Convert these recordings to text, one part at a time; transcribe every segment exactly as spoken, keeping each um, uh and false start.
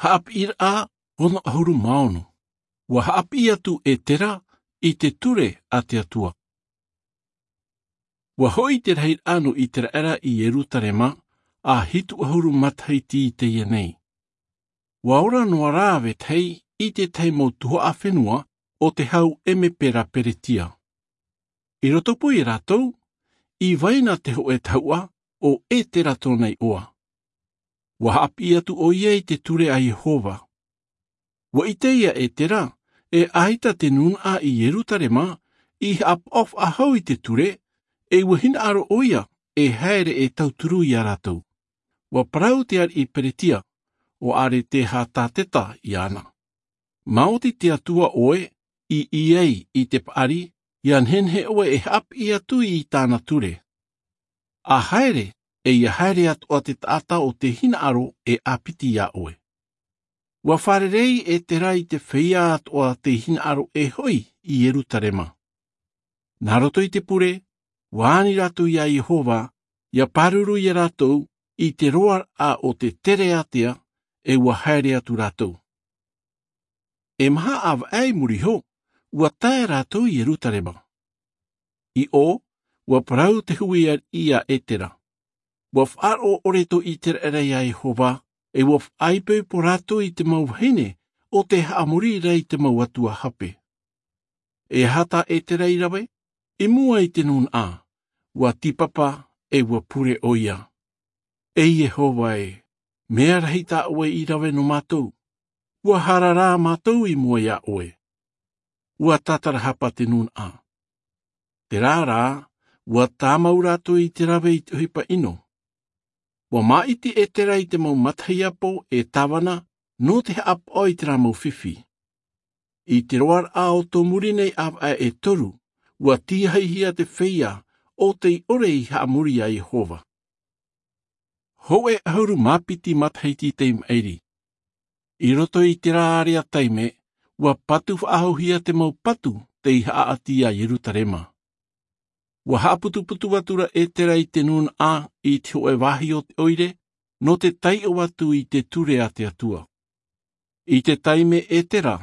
Haʻapiʻiraʻa ono ʻahuru mā ono. Ua haʻapiʻi atu ʻetera i te ture a te atua. Ua hoʻi te rahiraʻa nō iseraela i ierusalema, ʻa hitu ʻahuru matahiti i teie nei. Ua ora noa rā vetahi i te tahi mau tuhaʻa fenua o te hau emepera peretia. I roto pū iā rātou i vai na te hoʻe tahuʻa o ʻetera tōna iʻoa. Ua haʻapiʻi atu ʻoia i te ture a iehova. Ua ʻite ʻetera e ʻaita te nūnaʻa i ierusalema i haʻapaʻo faʻahou i te ture, e ua hinaʻaro ʻoia e haere e tauturu iā rātou. Ua parau te ariʻi peretia, ua aretehatateta iāna. Māoti te atua ʻoe i ʻī ai i te paʻari, ia nehenehe ʻoe e haʻapiʻi atu i tāna ture. A haere, e ia haere atu ʻa te taʻata o te hinaʻaro e ʻāpiti iā ʻoe. Ua fārerei ʻetera i te feiā atoʻa te hinaʻaro e hoʻi i ierusalema. Nā roto i te pure ua ani rātou iā iehova, ia pāruru iā rātou i te roaraʻa o te tereatea, e ua haere atu rātou. E maha ʻāvaʻe i muri iho, ua tae rātou i ierusalema. I ʻō, ua parau te hui ariʻi iā ʻetera. Ua faʻaroʻo ʻore tō iseraela iā iehova, e ua faʻaipoipo rātou i te mau vahine o te haʻamori ra i te mau atua hape. E aha tā ʻetera i rave i mua i te nūnaʻa? Ua tīpapa, e ua pure ʻoia. E iehova e, mea rahi tā ʻoe i rave nō mātou. Ua hara rā mātou i mua iā ʻoe. Ua tātarahapa te nūnaʻa. Terā rā, ua tāmau rātou i te rave i te ʻohipa ʻino. Ua māʻiti ʻetera i te mau matahiapo e tāvana nō te haʻapaʻo i terā mau fifi. I te roaraʻa o tō muri nei ʻāvaʻe e toru, ua tīahihia te feiā o tei ʻore i haʻamori iā iehova. Hoʻe ʻahuru mā piti matahiti tei maʻiri. I roto i terā area taime, ua patu faʻahouhia te mau patu tei haʻaʻati iā ierusalema. Ua haʻaputuputu atu ra ʻetera i te nūnaʻa i te hoʻe vāhi o te ʻoire, nō te taiʻo atu i te ture a te atua. I te taime ʻetera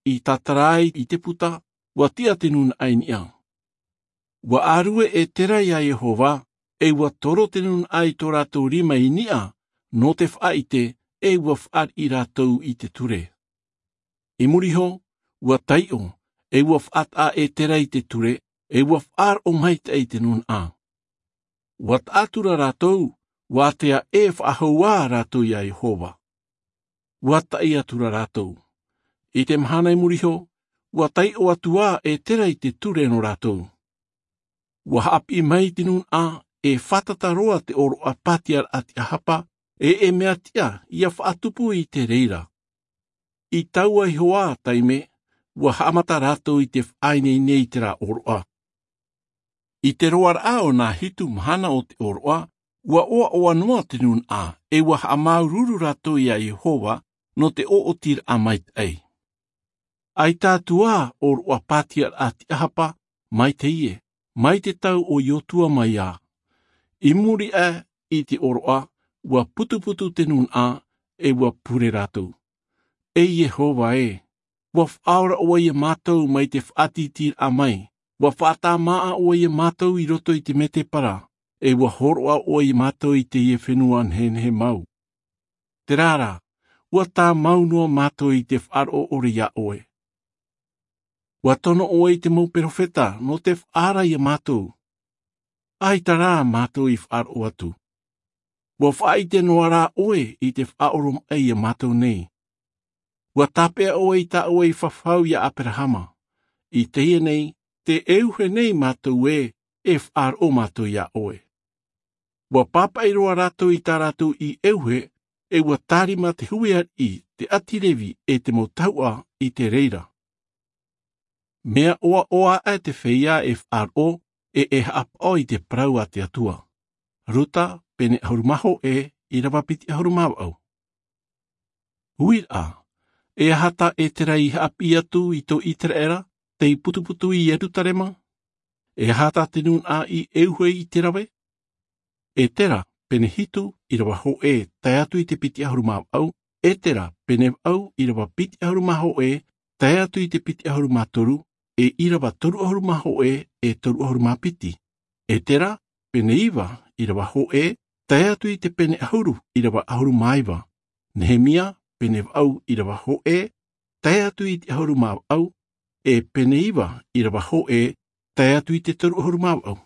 i tātara ai i te puta, ua tiʻa te nūnaʻa i niʻa. Ua ʻārue ʻetera iā iehova, e ua toro te nūnaʻa i tō rātou rima i niʻa nō te faʻaʻite, e ua fāriʻi rātou i te ture. I muri iho, ua taiʻo, e ua faʻataʻa ʻetera i te ture, e ua faʻaroʻo maitaʻi i te nūnaʻa. Ua taʻatura rātou, ua ātea e faʻahou ā rātou iā iehova. Ua taʻi atu ra rātou. I te mahana i muri iho, ua taiʻo atu ā ʻetera i te ture nō rātou. Ua haʻapiʻi mai te nūnaʻa, e fātata roa te ʻōroʻa patiaraʻa tiʻahapa, e e mea tiʻa ia faʻatupu i te reira. I taua iho ā taime, ua haʻamata rātou i te faʻaineine i terā ʻōroʻa. I te roaraʻa o nā hitu mahana o te ʻōroʻa, ua ʻoaʻoa noa te nūnaʻa, e ua haʻamāuruuru rātou iā iehova nō te ʻoʻotiraʻa maitaʻi. ʻAita atu ā ʻōroʻa patiaraʻa tiʻahapa, mai teie, mai te tau o iotua mai ā. I muri aʻe i te ʻōroʻa, ua putuputu te nūnaʻa, e ua pure rātou. E iehova e, ua faʻaora ʻoe iā mātou mai te faʻatītīraʻa mai, ua faʻatāmāʻa ʻoe iā mātou i roto i te mētēpara, e ua hōroʻa ʻoe iā mātou i teie fenua nehenehe mau. Terā rā, ua tāmau noa mātou i te faʻaroʻo ʻore iā ʻoe. Ua tono ʻoe i te mau perofeta nō te faʻaara iā mātou. ʻAita rā mātou i faʻaroʻo atu. Ua faʻaʻite noa rā ʻoe i te faʻaoromaʻi iā mātou nei. Ua tāpeʻa ʻoe i tā ʻoe i fafau iā aperahama. I teie nei, te ʻeuhe nei mātou e, e faʻaroʻo mātou iā ʻoe. Ua pāpaʻi roa rātou i tā rātou i ʻeuhe, e ua tārima te hui ariʻi, te ʻāti levi, e te mau tahuʻa i te reira. Mea ʻoaʻoa aʻe te feiā e faʻaroʻo, e e haʻapaʻo i te parau a te atua. Ruta, pene ʻahuru mā hōʻē, ʻīrava piti ʻahuru mā vaʻu. Uiraʻa, e aha tā ʻetera i haʻapiʻi atu i tō iseraela tei putuputu i ierusalema? E aha tā te nūnaʻa i ʻeuhe i te rave? ʻEtera, pene hitu, ʻīrava hōʻē tae atu i te piti ʻahuru mā vaʻu. Etera, pene vaʻu, ʻīrava piti ʻahuru mā hōʻē, tae atu i te piti ʻahuru mā toru, e ʻīrava toru ʻahuru mā hōʻē, e toru ʻahuru mā piti. Etera, pene iva, ʻīrava hōʻē, tae atu i te pene ʻahuru, ʻīrava ʻahuru mā iva. Nehemia, pene vaʻu, ʻīrava hōʻē, tae atu i te ʻahuru mā vaʻu, e pene iva, ʻīrava hōʻē, tae atu i te toru ʻahuru mā vaʻu.